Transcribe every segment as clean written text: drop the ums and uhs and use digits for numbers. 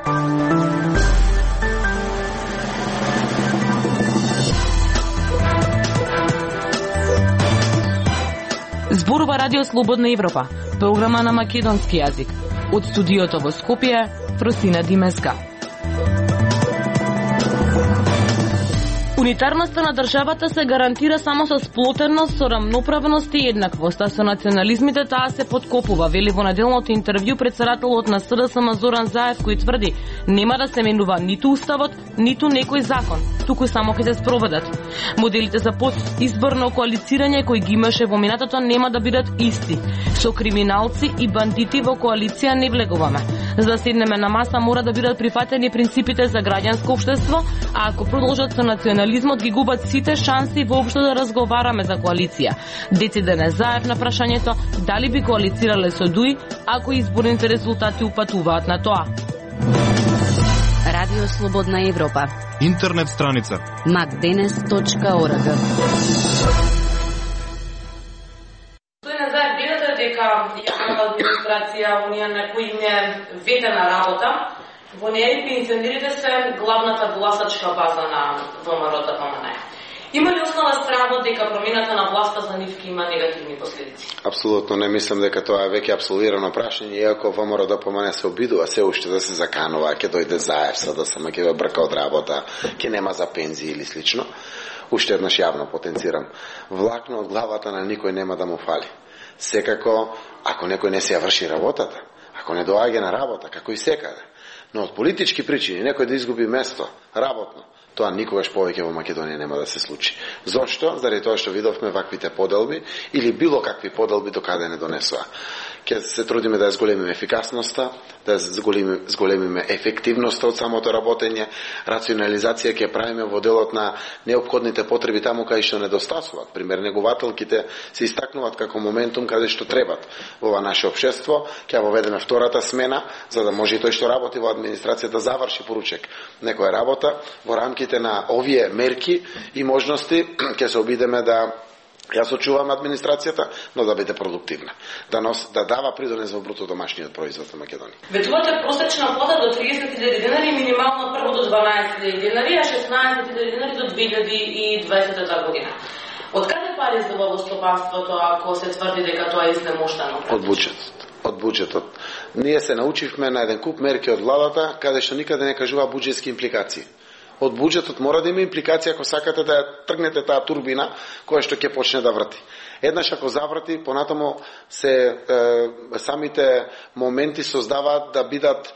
Зборува Радио Слободна Европа, програма на македонски јазик. Од студиото во Скопје, Фросина Димеска. Унитарноста на државата се гарантира само со сплотеност, со рамноправност и еднаквост, а со национализмите таа се подкопува, вели во неделното интервју председателот на СДСМ Зоран Заев, кој тврди нема да се менува ниту уставот, ниту некој закон, туку само ќе се спроведат. Моделите за подизборно коалицирање кои ги имаше во минатото нема да бидат исти. Со криминалци и бандити во коалиција не влегуваме. За да седнеме на маса мора да бидат прифатени принципите за граѓанско општество, а ако продолжат со национализмот ги губат сите шанси воопшто да разговараме за коалиција. Дециден е Заев на прашањето дали би коалицирале со ДУИ ако изборните резултати упатуваат на тоа. Радио Слободна Европа. Интернет страница macdenes.org. Дека јавната администрација во неја некој им е ведена работа, во неја и пензионерите се главната гласачка база на ВМРО-ДПМН. Има ли основа стравот дека промената на власта за нив ќе има негативни последици? Апсолутно не мислам дека тоа е веќе апсолвирано прашање, иако ВМРО-ДПМН се обидува се уште да се заканува, ќе дојде Заев, СДСМ ќе ве брка од работа, ќе нема за пензии или слично. Уште еднаш јавно потенцирам. Влакно од главата на никој нема да му фали. Секако, ако некој не се ја врши работата, ако не доаѓа на работа, како и секаде, но од политички причини некој да изгуби место, работно, тоа никогаш повеќе во Македонија нема да се случи. Зошто? Заради тоа што видовме ваквите поделби или било какви поделби до каде не донесува. Ке се трудиме да ја зголемиме ефикасноста, да ја зголемиме ефективноста од самото работење, рационализација ќе правиме во делот на неопходните потреби таму кај што недостасуваат. Пример, негователките се истакнуваат како моментум каде што требат во ова наше општество. Ќе воведеме втората смена, за да може и тој што работи во администрација да заврши поручек некоја работа. Во рамките на овие мерки и можности ќе се обидеме да ја сочуваме администрацијата, но да биде продуктивна. Да дава придонес во бруто домашниот производ на Македонија. Ветувате просечна плата до 30.000 денари, минимално прво до 12.000 денари, а 16.000 денари до 2020 година. Од каде пари за стопанството ако се тврди дека тоа е изнемоштено? Од буџетот. Ние се научивме на еден куп мерки од владата, каде што никаде не кажува буџетски импликации. Од буџетот мора да има импликација ако сакате да ја тргнете таа турбина која што ќе почне да врти. Еднаш ако заврти, понатамо се самите моменти создаваат да бидат,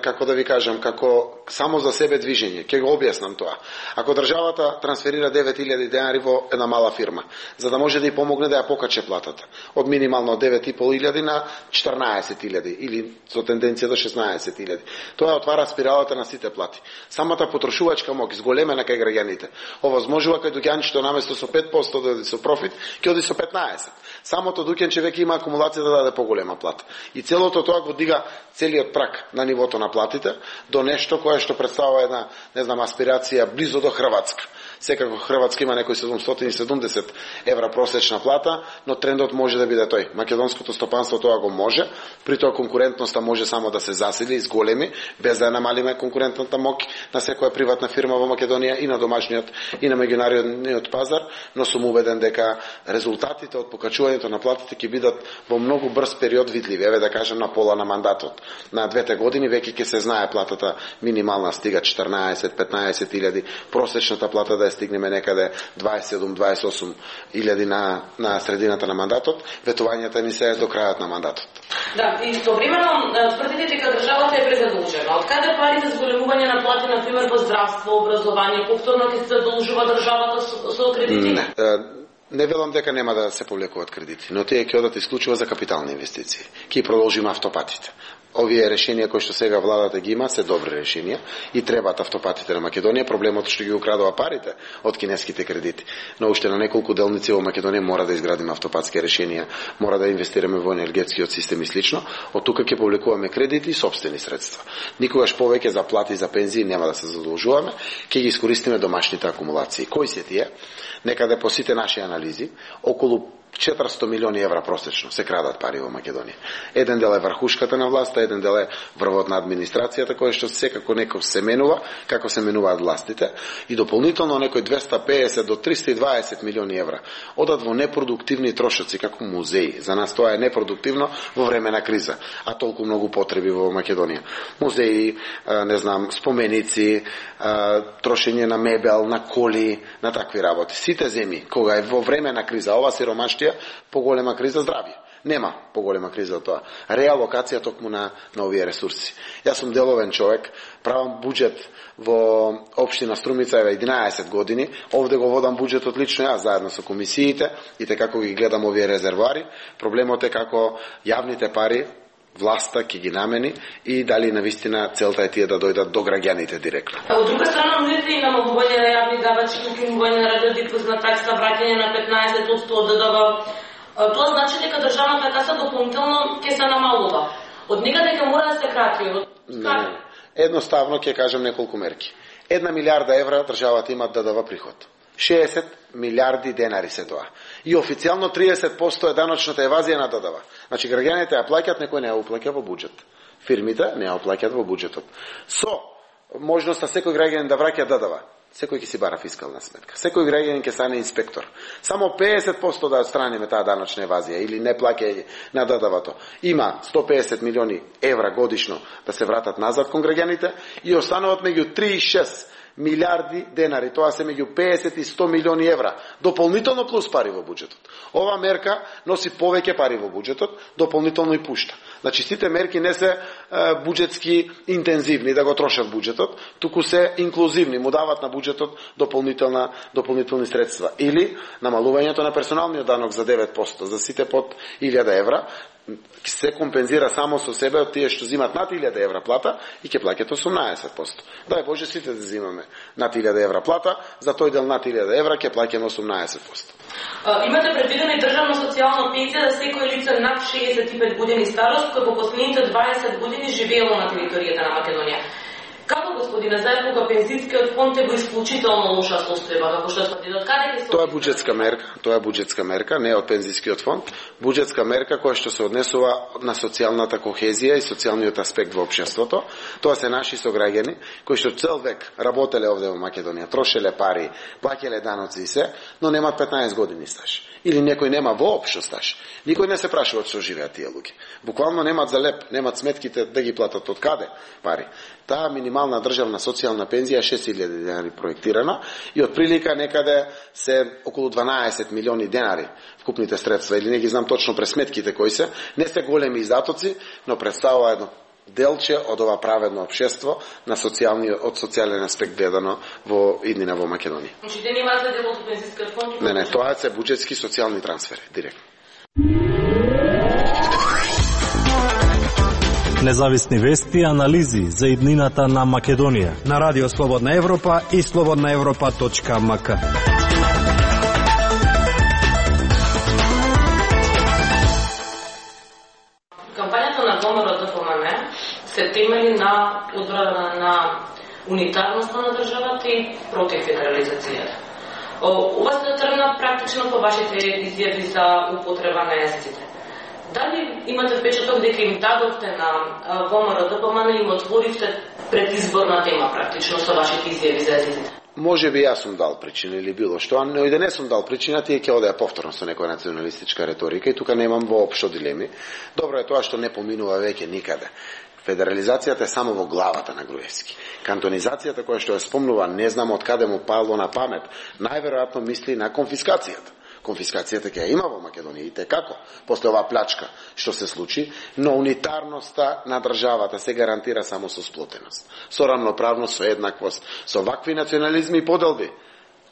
како да ви кажам, како само за себе движење. Ќе го објаснам тоа. Ако државата трансферира 9.000 денари во една мала фирма, за да може да ја помогне да ја покаче платата, од минимално 9.500 на 14.000 или со тенденција до 16.000. Тоа отвара спиралата на сите плати. Самата потрошувачка моќ зголемена кај граѓаните овозможува кај дуќанчето наместо со 5% да оди со профит, ќе оди со 15%. Самото дуќанче веќе има акумулација да даде поголема плата. И целото тоа го дига целиот прак на нивото на платите до нешто кое што представува една, аспирација близо до Хрватска. Секако Хрватска има некои 770 евра просечна плата, но трендот може да биде тој. Македонското стопанство тоа го може, при тоа конкурентноста може само да се засили и зголеми, без да ја намалиме конкурентната моќ на секоја приватна фирма во Македонија и на домашниот и на меѓународниот пазар, но сум убеден дека резултатите од покачувањето на платите ќе бидат во многу брз период видливи. Еве да кажам на пола на мандатот. На 2 години веќе ќе се знае платата минимална стига 14-15 илјади, просечната плата да стигнеме некаде 27-28 илјади на средината на мандатот, ветувањата ни се до крајот на мандатот. Да, и истовремено тврдите дека државата е презадолжена. Од каде пари за зголемување на плати, на пример во здравство, образование, повторно ќе се задолжува државата со кредити? Не велам дека нема да се повлекуваат кредити, но тие ќе одат исклучиво за капитални инвестиции. Ќе продолжиме автопатите. Овие решенија кои што сега владата ги има се добри решенија и требаат автопатите на Македонија. Проблемот што ги украдува парите од кинеските кредити. Но уште на неколку делници во Македонија мора да изградиме автопатски решенија, мора да инвестираме во енергетскиот систем и слично. Од тука ќе повлекуваме кредити и сопствени средства. Никогаш повеќе за плати и за пензии нема да се задолжуваме, ќе ги искористиме домашните акумулации. Кои се тие? Некаде по сите наши анализи, околу 400 милиони евра просечно се крадат пари во Македонија. Еден дел е врхушката на власта, еден дел е врвот на администрацијата, кој што секако некој се менува, како се менуваат властите, и дополнително некој 250 до 320 милиони евра одат во непродуктивни трошоци, како музеи. За нас тоа е непродуктивно во време на криза, а толку многу потреби во Македонија. Музеи, не знам, споменици, трошење на мебел, на коли, на такви работи. Сите земји, кога е во време на криза, ова сиромаштија, поголема криза здравје. Нема поголема криза од тоа. Реалокација токму на овие ресурси. Јас сум деловен човек, правам буџет во општина Струмица 11 години. Овде го водам буџетот лично јас заедно со комисиите и како ги гледам овие резервоари. Проблемот е како јавните пари власта ќе ги намени и дали навистина целта е тие да дојдат до граѓаните директно. Од друга страна, нудите и намалување на јавни давачи, укинување на радиодифузна такса, враќање на 15% од ДДВ. Тоа значи дека државната каса дополнително ќе се намалува. Од некаде ќе мора да се крати. Не. Едноставно ќе кажам неколку мерки. 1 милиарда евра државата има ДДВ приход. 60 милиарди денари се тоа. И официјално 30% е даночната евазија на ДДВ. Значи граѓаните ја плаќаат, некој не ја уплаќа во буџет. Фирмите не ја уплаќаат во буџетот. Со можноста секој граѓанин да враќа ДДВ, секој ќе си бара фискална сметка. Секој граѓанин ќе стане инспектор. Само 50% да отстраниме таа даночна евазија или не плаќање на ДДВ-то. Има 150 милиони евра годишно да се вратат назад кон граѓаните и остануваат меѓу 3 и 6 милиарди денари, тоа се меѓу 50 и 100 милиони евра, дополнително плюс пари во буџетот. Ова мерка носи повеќе пари во буџетот, дополнително и пушта. Значи, сите мерки не се буџетски интензивни да го трошат буџетот, туку се инклузивни, му дават на буџетот дополнителни средства. Или намалувањето на персоналниот данок за 9%, за сите под 1000 евра, се компензира само со себе од тие што зимат над 1000 евра плата и ќе плаќат 18%. Дај Боже сите да зимаме над 1000 евра плата, за тој дел над 1000 евра ќе плаќаме 18%. Имате предвидена и државна социјална пензија за секој лице над 65 години старост кој по последните 20 години живеело на територијата на Македонија. Како, господине Заев, кога пензискиот фонд е во исклучително лоша состојба, како што тврди, од каде ќе се... Тоа е буџетска мерка, не од пензискиот фонд. Буџетска мерка која што се однесува на социјалната кохезија и социјалниот аспект во општеството. Тоа се наши сограѓани кои што цел век работеле овде во Македонија, трошеле пари, плаќале даноци и се, но немаат 15 години стаж. Или некој нема воопшто стаж. Никој не се прашува што живеат тие луѓе. Буквално немаат за леп, немаат сметките да ги платат од каде пари. Таа минимална државна социјална пензија е 6000 денари проектирана и од прилика некаде се околу 12 милиони денари вкупните средства, или не ги знам точно през сметките кои се, не се големи издатоци, но представува едно делче од ова праведно општество на од социјален аспект гледано во иднина во Македонија. Значи, те нема за дел од пензискиот фонд? Не, тоа се буџетски социјални трансфери, директно. Независни вести и анализи за иднината на Македонија на Радио Слободна Европа и slobodnaevropa.mk. Кампањата на ВМРО-ДПМН се темели на одбрана на унитарноста на државата и против федерализацијата. Ова се тргна практично по вашите изјави за употреба на езиците. Дали имате впечаток дека им дадовте на ВМРО-ДПМН и им отворивте предизборна тема практично со вашите изјави за езиците? Може би јас сум дал причина или било што, но и да не сум дал причина, тие ќе одеа повторно со некоја националистичка реторика и тука немам воопшто дилеми. Добро е тоа што не поминува веќе никаде. Федерализацијата е само во главата на Груевски. Кантонизацијата која што ја спомнува, не знам од каде му пало на памет, најверојатно мисли на конфискацијата. Конфискацијата ќе ја има во Македонија и како после оваа плячка што се случи, но унитарноста на државата се гарантира само со сплотеност, со рамноправност, со еднаквост, со вакви национализми и поделби.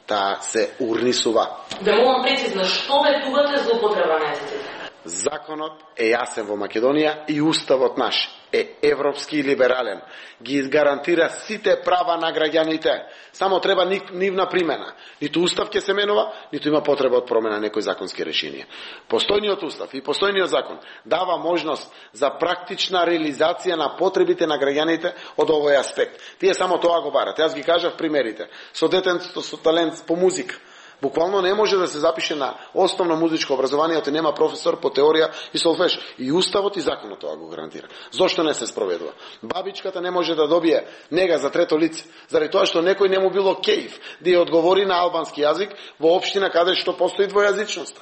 Таа се урнисува. Да молам прецизно, што ветувате за употреба на езиците? Законот е јасен во Македонија и уставот наш е европски и либерален. Ги гарантира сите права на граѓаните. Само треба нивна примена. Ниту устав ќе се менува, ниту има потреба од промена некои законски решенија. Постојниот устав и постојниот закон дава можност за практична реализација на потребите на граѓаните од овој аспект. Тие само тоа го барат. Јас ги кажав примерите. Со детенцето со талент по музика. Буквално не може да се запише на основно музичко образование, оти нема професор по теорија и солфеж. И уставот и законот тоа го гарантира. Зошто не се спроведува? Бабичката не може да добие нега за трето лице, заради тоа што некој не му било кејф да ја одговори на албански јазик во општина каде што постои двојазичноста.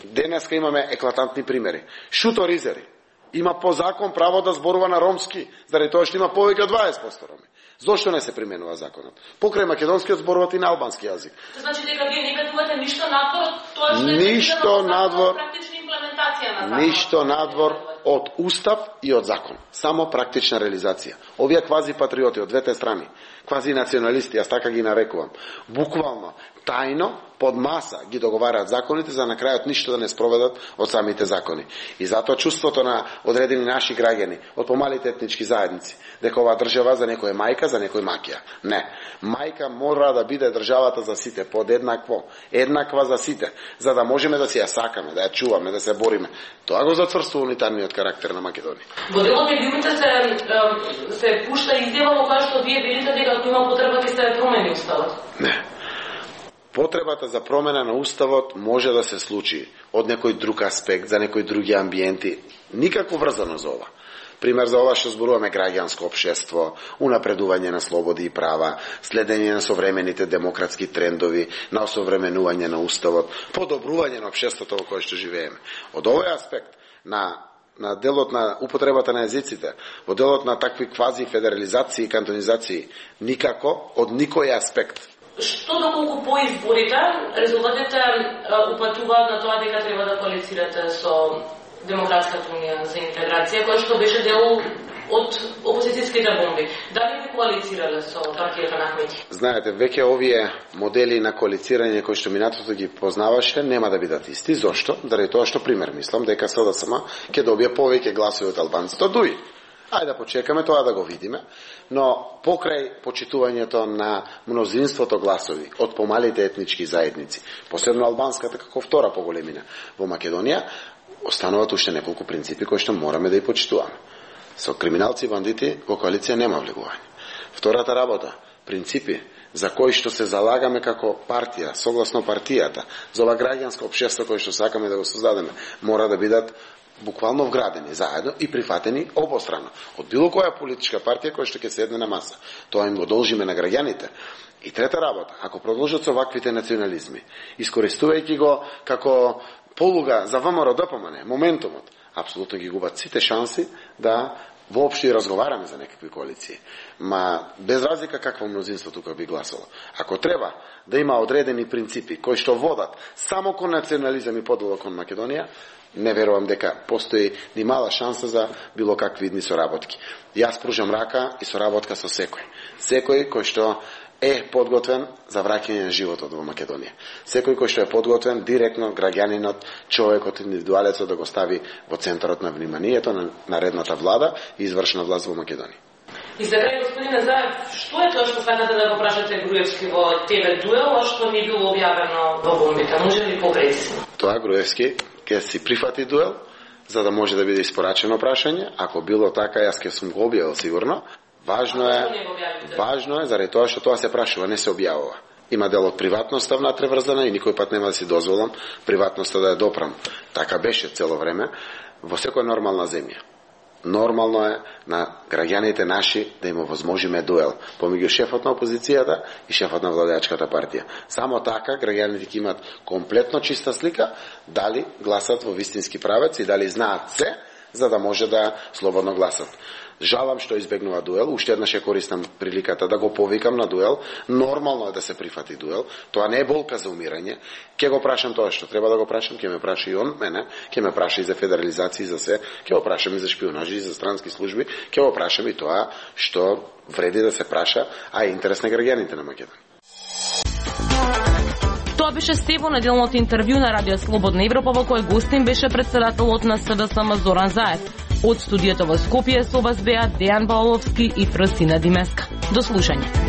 Денеска имаме еклатантни примери. Шуто Ризери има по закон право да зборува на ромски, заради тоа што има повеќе од 20% роми. Зошто не се применува законот? Покрај македонскиот зборуваат и на албански јазик. Значи дека вие не ветувате ништо надвор од тоа што е ништо надвор, практична имплементација на законот. Ништо надвор од устав и од закон. Само практична реализација. Овие квази патриоти од двете страни, квази националисти, јас така ги нарекувам, буквално тајно под маса ги договараат законите за на крајот ништо да не спроведат од самите закони. И затоа чувството на одредени наши граѓани од помалите етнички заедници дека оваа држава за некој е мајка, за некој макија. Не. Мајка мора да биде државата за сите, подеднакво, еднаква за сите, за да можеме да си ја сакаме, да ја чуваме, да се бориме. Тоа го зацврстува унитарниот карактер на Македонија. Во делот медиумите се пушта изјава во која што вие велите дека ако има потреба ќе се промени уставот. Не. Потребата за промена на уставот може да се случи од некој друг аспект, за некои други амбиенти, никако врзано за ова. Пример за ова што зборуваме граѓанско општество, унапредување на слободи и права, следење на современите демократски трендови, на осовременување на уставот, подобрување на општеството во кое што живееме. Од овој аспект на делот на употребата на езиците, во делот на такви квази федерализации и кантонизации, никако од никој аспект. Што доколку по изборите резултатите упатуваат на тоа дека треба да коалицирате со Демократската унија за интеграција, која што беше дел од опозицијските бомби. Дали би коалицирале со партијата на Ахмети? Знаете, веќе овие модели на коалицирање кои што минатото ги познаваше нема да бидат исти. Зошто? Заради тоа што пример мислам дека СДСМ ќе добие повеќе гласови од албанците од ДУИ. Ајде да почекаме тоа да го видиме, но покрај почитувањето на мнозинството гласови од помалите етнички заедници, посебно албанската како втора по големина во Македонија, остануваат уште неколку принципи кои што мораме да ги почитуваме. Со криминалци и бандити во коалиција нема влегување. Втората работа, принципи за кои што се залагаме како партија, согласно партијата, за ова граѓанско општество кој што сакаме да го создадеме, мора да бидат буквално вградени заедно и прифатени обострано од било која политичка партија која што ќе седне на маса. Тоа им го должиме на граѓаните. И трета работа, ако продолжат со ваквите национализми, искористувајќи го како полуга за ВМРО ДПМН, моментумот, апсолутно ги губат сите шанси да воопшто и разговараме за некакви коалиции. Ма без разлика какво мнозинство тука би гласало. Ако треба да има одредени принципи кои што водат само кон национализам и подолу кон Македонија, не верувам дека постои ни мала шанса за било какви идни соработки. Јас пружам рака и соработка со секој. Секој кој што е подготвен за враќање на животот во Македонија. Секој кој што е подготвен директно граѓанинот, човекот, индивидуалецот да го стави во центарот на вниманието на наредната влада и извршна власт во Македонија. И за крај, господине Заев, што е тоа што сакате да го прашате Груевски во ТВ дуел, а што не било објавено во бомбите? Може ли попрецизно? Тоа Груевски ќе си прифати дуел, за да може да биде испорачено прашање. Ако било така, јас ќе сум го објавил сигурно. Важно е заради тоа што тоа се прашува, не се објавува. Има дел од приватноста внатре врзана и никој пат нема да си дозволам приватноста да ја допрам. Така беше цело време во секоја нормална земја. Нормално е на граѓаните наши да им овозможиме дуел помеѓу шефот на опозицијата и шефот на владеачката партија. Само така граѓаните ќе имат комплетно чиста слика дали гласат во вистински правец и дали знаат се за да може да слободно гласат. Жалам што избегнува дуел, уште еднаш ја користам приликата да го повикам на дуел. Нормално е да се прифати дуел, тоа не е болка за умирање. Ќе го прашам тоа што треба да го прашам, ќе ме праша и он мене, ќе ме праша и за федерализација и за се, ќе го прашам и за шпионажи и за странски служби, ќе го прашам и тоа што вреди да се праша, а е интерес на граѓаните на Македонија. Тоа беше Стево неделното интервју на Радио Слободна Европа во кој гостин беше председателот на СДСМ Зоран Заев. Од студиото во Скопје со вас беа Дејан Баоловски и Фрсина Димеска. До слушање.